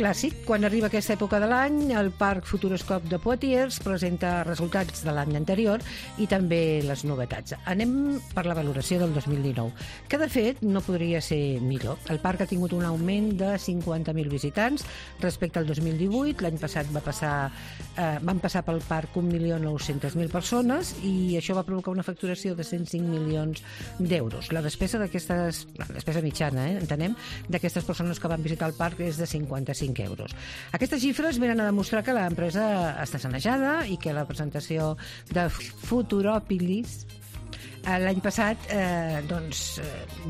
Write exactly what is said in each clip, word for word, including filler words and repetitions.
clàssic. Quan arriba aquesta època de l'any, el Parc Futuroscope de Poitiers presenta resultats de l'any anterior i també les novetats. Anem per la valoració del dos mil dinou, que de fet no podria ser millor. El parc ha tingut un augment de cinquanta mil visitants respecte al dos mil divuit. L'any passat va passar, eh, van passar pel parc un milió nou-centes mil persones i això va provocar una facturació de cent cinc milions d'euros. La despesa d'aquestes, la despesa mitjana, eh, entenem, d'aquestes persones que van visitar el parc és de cinquanta-cinc euros. Aquestes xifres venen a demostrar que l'empresa està sanejada i que la presentació de Futuropolis l'any passat eh, doncs,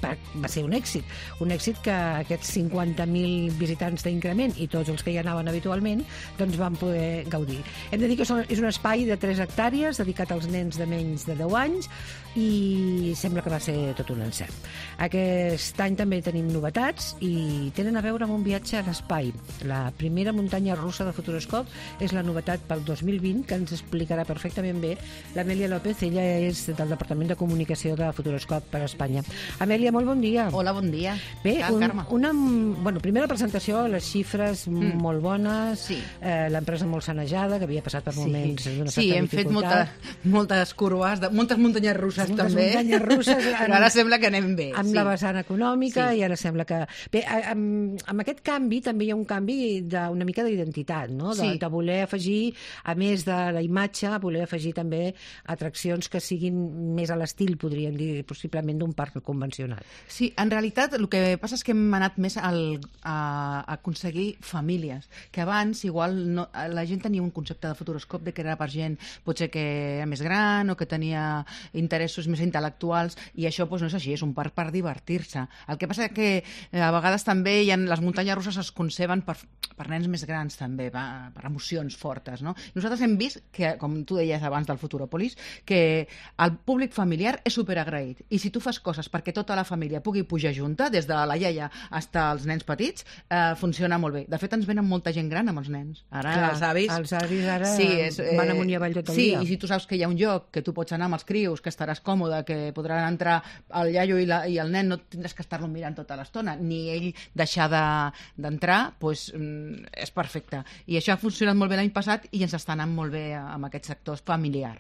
va, va ser un èxit. Un èxit que aquests cinquanta mil visitants d'increment i tots els que hi anaven habitualment doncs van poder gaudir. Hem de dir que és un espai de tres hectàrees dedicat als nens de menys de deu anys i sembla que va ser tot un encert. Aquest any també tenim novetats i tenen a veure amb un viatge a l'espai. La primera muntanya russa de Futuroscope és la novetat pel dos mil vint que ens explicarà perfectament bé l'Amèlia López. Ella és del Departament de Comunicació de Futuroscope per Espanya. Amèlia, molt bon dia. Hola, bon dia. Bé, un, una, bueno, primera presentació, les xifres mm. molt bones, sí. eh, l'empresa molt sanejada, que havia passat per moments sí. d'una certa sí, hem dificultat. fet molta, moltes curves, de, moltes muntanyes russes moltes també. Muntanyes russes. En, però ara sembla que anem bé. Amb sí. la vessant econòmica sí. i ara sembla que... Bé, amb, amb aquest canvi també hi ha un canvi d'una mica d'identitat, no? De, sí. de voler afegir, a més de la imatge, voler afegir també atraccions que siguin més a l'estil, podríem dir, possiblement d'un parc convencional. Sí, en realitat el que passa és que hem anat més al, a, a aconseguir famílies, que abans igual no, la gent tenia un concepte de Futuroscope de que era per gent potser que era més gran o que tenia interessos més intel·lectuals i això doncs, no és així, és un parc per divertir-se. El que passa és que a vegades també hi ha, les muntanyes russes es conceben per, per nens més grans també, per, per emocions fortes. No? Nosaltres hem vist que, com tu deies abans del Futuropolis, que el públic familiar és superagraït. I si tu fas coses perquè tota la família pugui pujar junta, des de la iaia fins als nens petits, eh, funciona molt bé. De fet, ens venen molta gent gran amb els nens. Ara, clar, els avis... Els avis ara sí, és, eh, van amunt i avall tot el sí, dia. Sí, i si tu saps que hi ha un lloc que tu pots anar amb els crios, que estaràs còmode, que podran entrar el iaio i, la, i el nen, no tindràs que estar-lo mirant tota l'estona, ni ell deixar d'entrar, de, doncs mm, és perfecte. I això ha funcionat molt bé l'any passat i ens està anant molt bé amb aquest sector familiar.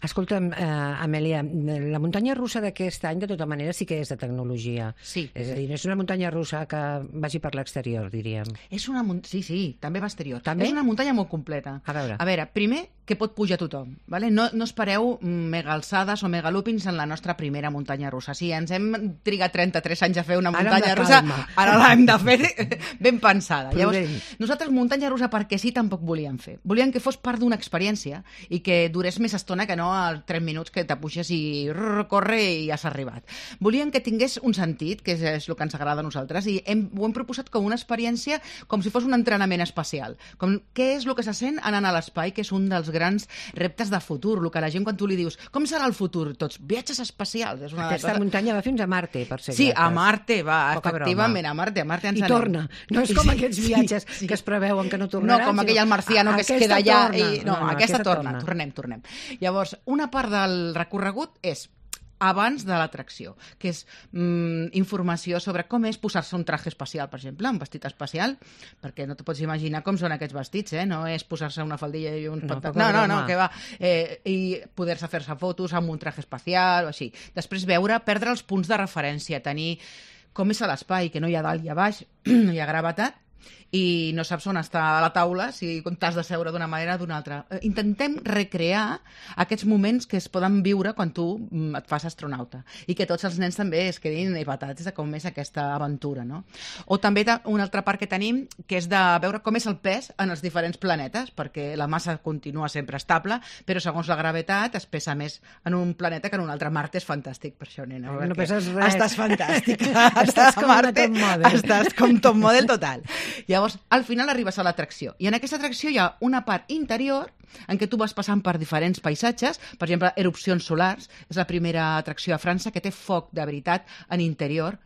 Escolta'm, eh, Amèlia, la muntanya russa d'aquest any, de tota manera, sí que és de tecnologia. Sí. És a dir, no és una muntanya russa que vagi per l'exterior, diríem. És una munt... Sí, sí, també va exterior. També? És una muntanya molt completa. A veure. A veure, primer, que pot pujar tothom. Vale? No, no espereu megalçades o megalúpins en la nostra primera muntanya russa. Sí, ens hem trigat trenta-tres anys a fer una muntanya russa, ara l'hem de fer ben pensada. Prudent. Llavors, nosaltres muntanya russa perquè sí tampoc volíem fer. Volíem que fos part d'una experiència i que durés més estona que no als tres minuts que te puixes i rrr, corre i has arribat. Volíem que tingués un sentit, que és, és el que ens agrada a nosaltres, i hem, ho hem proposat com una experiència com si fos un entrenament espacial. Com, què és el que se sent anant a l'espai, que és un dels grans reptes de futur, el que la gent quan tu li dius com serà el futur? Tots, viatges espacials. És una Aquesta cosa... muntanya va fins a Marte, per ser Sí, exactes. a Marte, va, Poca efectivament, broma. a Marte, a Marte ens I anem. torna. No és com sí, aquests viatges sí, sí. que es preveuen que no tornaran. No, com aquell al marciano que es queda allà. I... No, no, no, aquesta, aquesta torna. torna. Tornem, tornem. Llavors, una part del recorregut és abans de l'atracció, que és mm, informació sobre com és posar-se un traje espacial, per exemple, un vestit espacial, perquè no te pots imaginar com són aquests vestits, eh? No és posar-se una faldilla i un... No, no, no, no, que va. Eh, I poder-se fer-se fotos amb un traje espacial o així. Després veure, perdre els punts de referència, tenir com és a l'espai, que no hi ha dalt i a baix, no hi ha gravetat, i no saps on està la taula, si t'has de seure d'una manera o d'una altra. Intentem recrear aquests moments que es poden viure quan tu et fas astronauta i que tots els nens també es quedin empatats de com és aquesta aventura, no? O també un altre part que tenim, que és de veure com és el pes en els diferents planetes, perquè la massa continua sempre estable, però segons la gravetat es pesa més en un planeta que en un altre. Marte és fantàstic per això, nena. No peses res. Estàs fantàstica. Estàs com una top model. Estàs com top model total. Llavors, al final arribes a l'atracció. I en aquesta atracció hi ha una part interior en què tu vas passant per diferents paisatges, per exemple, erupcions solars, és la primera atracció a França que té foc de veritat en interior,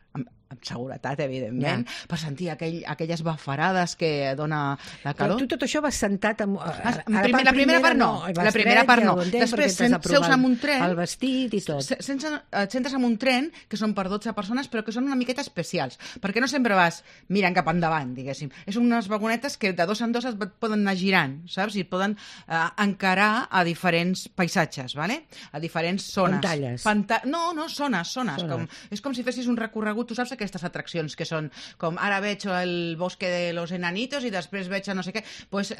amb seguretat, evidentment, ja. per sentir aquell, aquelles bafarades que dona la calor. Però tu tot això vas sentat... Amb, ah, primer, la primera part no, no la primera part no. Entenc, després seus amb un tren... El vestit i tot. Sense, et sentes amb un tren, que són per dotze persones, però que són una miqueta especials, perquè no sempre vas mirant cap endavant, diguéssim. És unes vagonetes que de dos en dos et poden anar girant, saps? I et poden eh, encarar a diferents paisatges, ¿vale? A diferents zones. Pantalles. Panta... No, no, zones, zones. zones. Com, és com si fessis un recorregut, tu saps aquestes atraccions que són com ara veig el bosque de los enanitos i després veig a no sé què. Pues,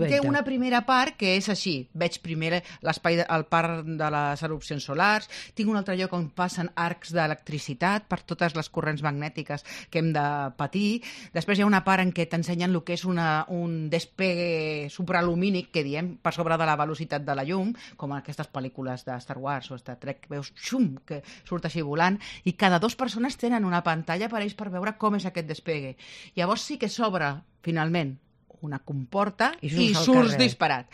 té una primera part que és així. Veig primer l'espai, el parc de les erupcions solars, tinc un altre lloc on passen arcs d'electricitat per totes les corrents magnètiques que hem de patir. Després hi ha una part en què t'ensenyen el que és una, un despegue supralumínic, que diem, per sobre de la velocitat de la llum, com aquestes pel·lícules de Star Wars o Star Trek, veus xum, que surt així volant, i cada dues persones tenen una pantalla per ells per veure com és aquest despegue. Llavors sí que s'obre, finalment, una comporta i, i surts disparat.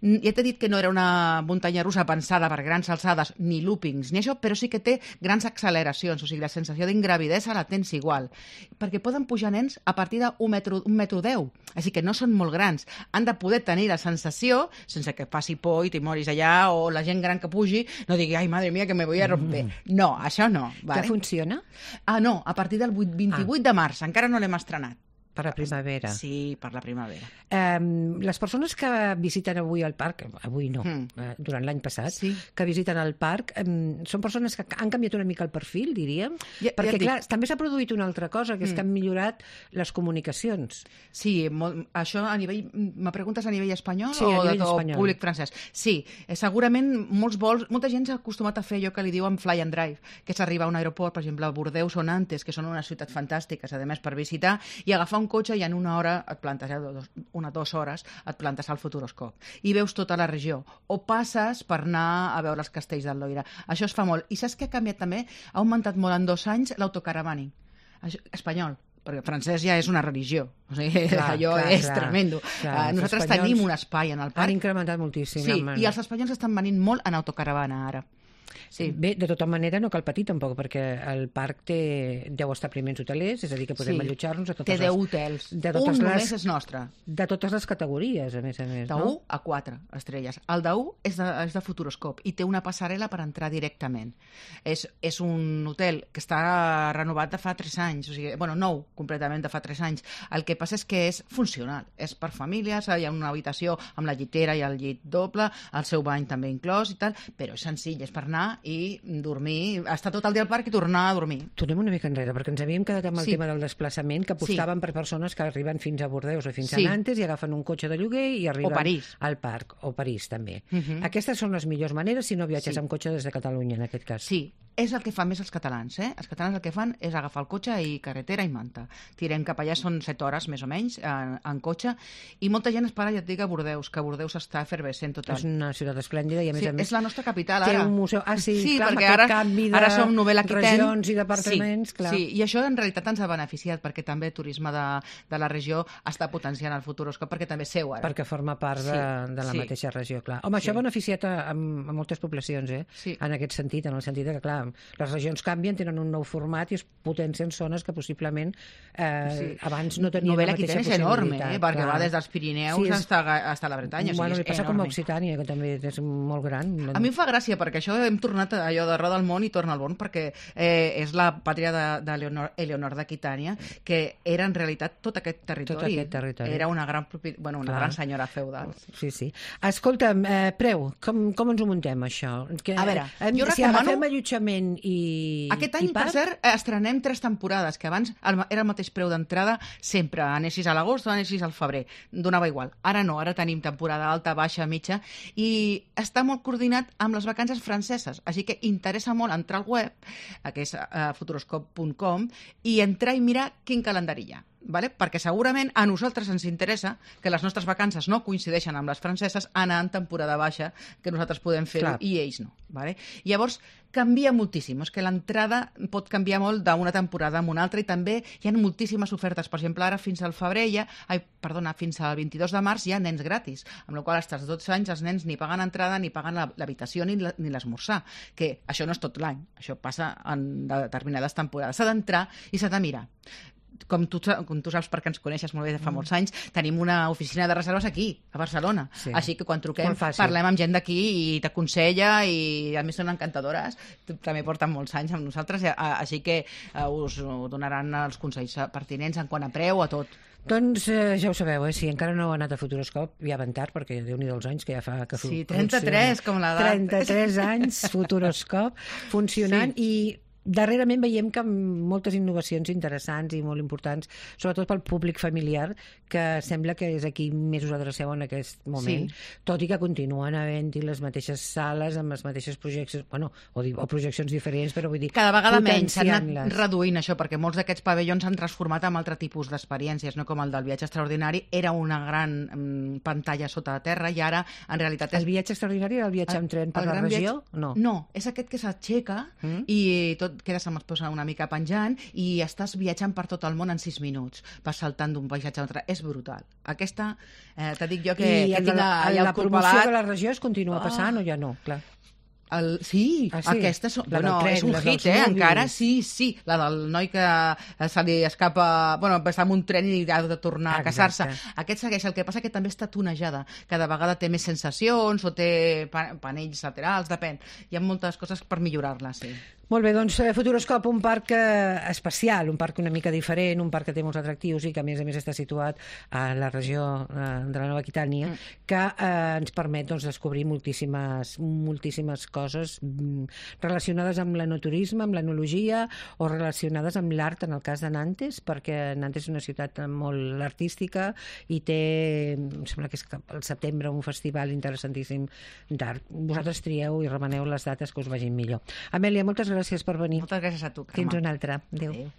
Ja t'he dit que no era una muntanya russa pensada per grans alçades, ni loopings, ni això, però sí que té grans acceleracions, o sigui, la sensació d'ingravidesa la tens igual, perquè poden pujar nens a partir d'un metro, un metro deu, així que no són molt grans. Han de poder tenir la sensació, sense que faci por i t'hi moris allà, o la gent gran que pugi no digui, ai, madre mía, que me voy a romper. Mm. No, això no. Vale? Que funciona? Ah, no, a partir del vint-i-vuit ah. de març, encara no l'hem estrenat. Per la primavera. Sí, per la primavera. Um, les persones que visiten avui el parc, avui no, mm. uh, durant l'any passat, sí. que visiten el parc, um, són persones que han canviat una mica el perfil, diríem, ja, perquè, ja clar, dic. també s'ha produït una altra cosa, que és mm. que han millorat les comunicacions. Sí, molt, això a nivell... Me preguntes a nivell espanyol sí, o a nivell de espanyol. Públic francès? Sí, eh, segurament molts vols... Molta gent s'ha acostumat a fer allò que li diuen fly and drive, que és arribar a un aeroport, per exemple, a Bordeus o Nantes, que són unes ciutats fantàstiques, a més, per visitar, i agafar un cotxe i en una hora et plantes, ja, dos, una o dues hores, et plantes al Futuroscope i veus tota la regió. O passes per anar a veure els castells del Loira. Això es fa molt. I saps què ha canviat també? Ha augmentat molt en dos anys l'autocaravaning. Espanyol. Perquè francès ja és una religió. O sigui, clar, allò clar, és clar, tremendo. Clar, uh, nosaltres tenim un espai en el parc. Han incrementat moltíssim. Sí, i els espanyols estan venint molt en autocaravana ara. Sí. Bé, de tota manera no cal patir tampoc, perquè el parc té deu establiments hotelers, és a dir, que podem sí. allotjar-nos a totes té deu les... hotels, de totes un les, només és nostre. De totes les categories, a més a més. De no? u a quatre estrelles. El de u és de, és de Futuroscope i té una passarel·la per entrar directament. És, és un hotel que està renovat de fa tres anys, o sigui, bueno, nou completament de fa tres anys. El que passa és que és funcional, és per famílies, hi ha una habitació amb la llitera i el llit doble, el seu bany també inclòs i tal, però és senzill, és per anar i dormir, estar tot el dia al parc i tornar a dormir. Tornem una mica enrere, perquè ens havíem quedat amb el sí. tema del desplaçament, que apostaven sí. per persones que arriben fins a Bordeus o fins sí. a Nantes i agafen un cotxe de lloguer i arriben al parc, o París també. Uh -huh. Aquestes són les millors maneres si no viatges sí. amb cotxe des de Catalunya, en aquest cas. Sí, és el que fan més els catalans, eh? Els catalans el que fan és agafar el cotxe i carretera i manta. Tirem cap allà, són set hores més o menys, en, en cotxe, i molta gent es para, ja et dic, a Bordeus, que Bordeus està efervescent total. És una ciutat esplèndida i a més sí, a més... És la nostra capital, ara. Té un museu... Ah, sí, sí clar, perquè ara, canvi de ara som Novel Aquitaine. Regions i departaments, sí, clar. Sí, i això en realitat ens ha beneficiat, perquè també el turisme de, de la regió està potenciant el Futuroscope, perquè també seu ara. Perquè forma part de, sí, de la sí. mateixa regió, clar. Home, sí. això ha beneficiat a, a, a moltes poblacions, eh? Sí. En aquest sentit, en el sentit que, clar, les regions canvien, tenen un nou format i es potencien zones que possiblement eh, sí. abans no tenien Novel la mateixa possibilitat. és enorme, eh? Perquè clar. va des dels Pirineus sí, és... fins a la Bretanya. Bueno, o sigui, li passa enorme. com a Occitània, que també és molt gran. A mi em fa gràcia, perquè això hem tornat a allò de roda al món i torna al món, perquè eh, és la pàtria de, de Leonor, Eleonor d'Aquitània, que era en realitat tot aquest territori. Tot aquest territori. Era una gran, bueno, una clar. gran senyora feudal. Sí, sí. Escolta'm, eh, Preu, com, com ens ho muntem, això? Que, a veure, eh, jo si recomano... agafem allotjament i Aquest any, i parc... per cert, estrenem tres temporades, que abans era el mateix preu d'entrada sempre, anessis a l'agost o anessis al febrer, donava igual. Ara no, ara tenim temporada alta, baixa, mitja, i està molt coordinat amb les vacances franceses, així que interessa molt entrar al web, que és uh, futuroscope punt com, i entrar i mirar quin calendari hi ha. vale? Perquè segurament a nosaltres ens interessa que les nostres vacances no coincideixen amb les franceses anar en temporada baixa, que nosaltres podem fer-ho i ells no. Vale? Llavors, canvia moltíssim. És que l'entrada pot canviar molt d'una temporada a una altra i també hi ha moltíssimes ofertes. Per exemple, ara fins al febrer ja, ai, perdona, fins al vint-i-dos de març hi ha nens gratis, amb la qual cosa als dotze anys els nens ni paguen entrada ni paguen l'habitació ni l'esmorzar, que això no és tot l'any, això passa en determinades temporades. S'ha d'entrar i s'ha de mirar. Com tu, com tu saps, perquè ens coneixes molt bé de fa molts anys, tenim una oficina de reserves aquí, a Barcelona. Sí. Així que quan truquem parlem amb gent d'aquí i t'aconsella i a més són encantadores. També porten molts anys amb nosaltres, així que us donaran els consells pertinents en quant a preu, a tot. Doncs eh, ja ho sabeu, eh? Si encara no heu anat a Futuroscop, ja van tard, perquè Déu-n'hi-do els anys que ja fa que Sí, trenta-tres, com l'edat. trenta-tres anys, Futuroscop, funcionant, sí. I darrerament veiem que moltes innovacions interessants i molt importants, sobretot pel públic familiar, que sembla que és aquí més us adreceu en aquest moment, sí. Tot i que continuen havent-hi les mateixes sales amb les mateixes projeccions, bueno, o, o projeccions diferents, però vull dir... Cada vegada menys s'han anat reduint això, perquè molts d'aquests pavellons s'han transformat en altre tipus d'experiències, no com el del viatge extraordinari, era una gran mm, pantalla sota la terra i ara, en realitat... És... El viatge extraordinari era el viatge amb tren per la regió? Viatge... No. No, és aquest que s'aixeca mm. i tot quedes amb els peus una mica penjant i estàs viatjant per tot el món en sis minuts. Vas saltant d'un paisatge a l'altre. És brutal. Aquesta, eh, te dic jo que... I que tinc la, la, la promoció de la regió es continua passant oh. o ja no? Clar. El, sí, ah, sí, aquesta és, bueno, tren, és un hit, eh? Encara sí, sí. La del noi que se li escapa... Bueno, està en un tren i ha de tornar a casar-se. Aquest segueix. El que passa que també està tunejada. Cada vegada té més sensacions o té panells laterals, depèn. Hi ha moltes coses per millorar-la, sí. Molt bé, doncs Futuroscop, un parc eh, especial, un parc una mica diferent, un parc que té molts atractius i que a més a més està situat a la regió eh, de la Nova Aquitània, mm. que eh, ens permet doncs, descobrir moltíssimes, moltíssimes coses mm, relacionades amb l'enoturisme, amb l'enologia o relacionades amb l'art, en el cas de Nantes, perquè Nantes és una ciutat molt artística i té, em sembla que és al setembre, un festival interessantíssim d'art. Vosaltres trieu i remeneu les dates que us vagin millor. Amèlia, moltes gràcies per venir. Moltes gràcies a tu, Carme. Fins una altra. Adéu. Adéu.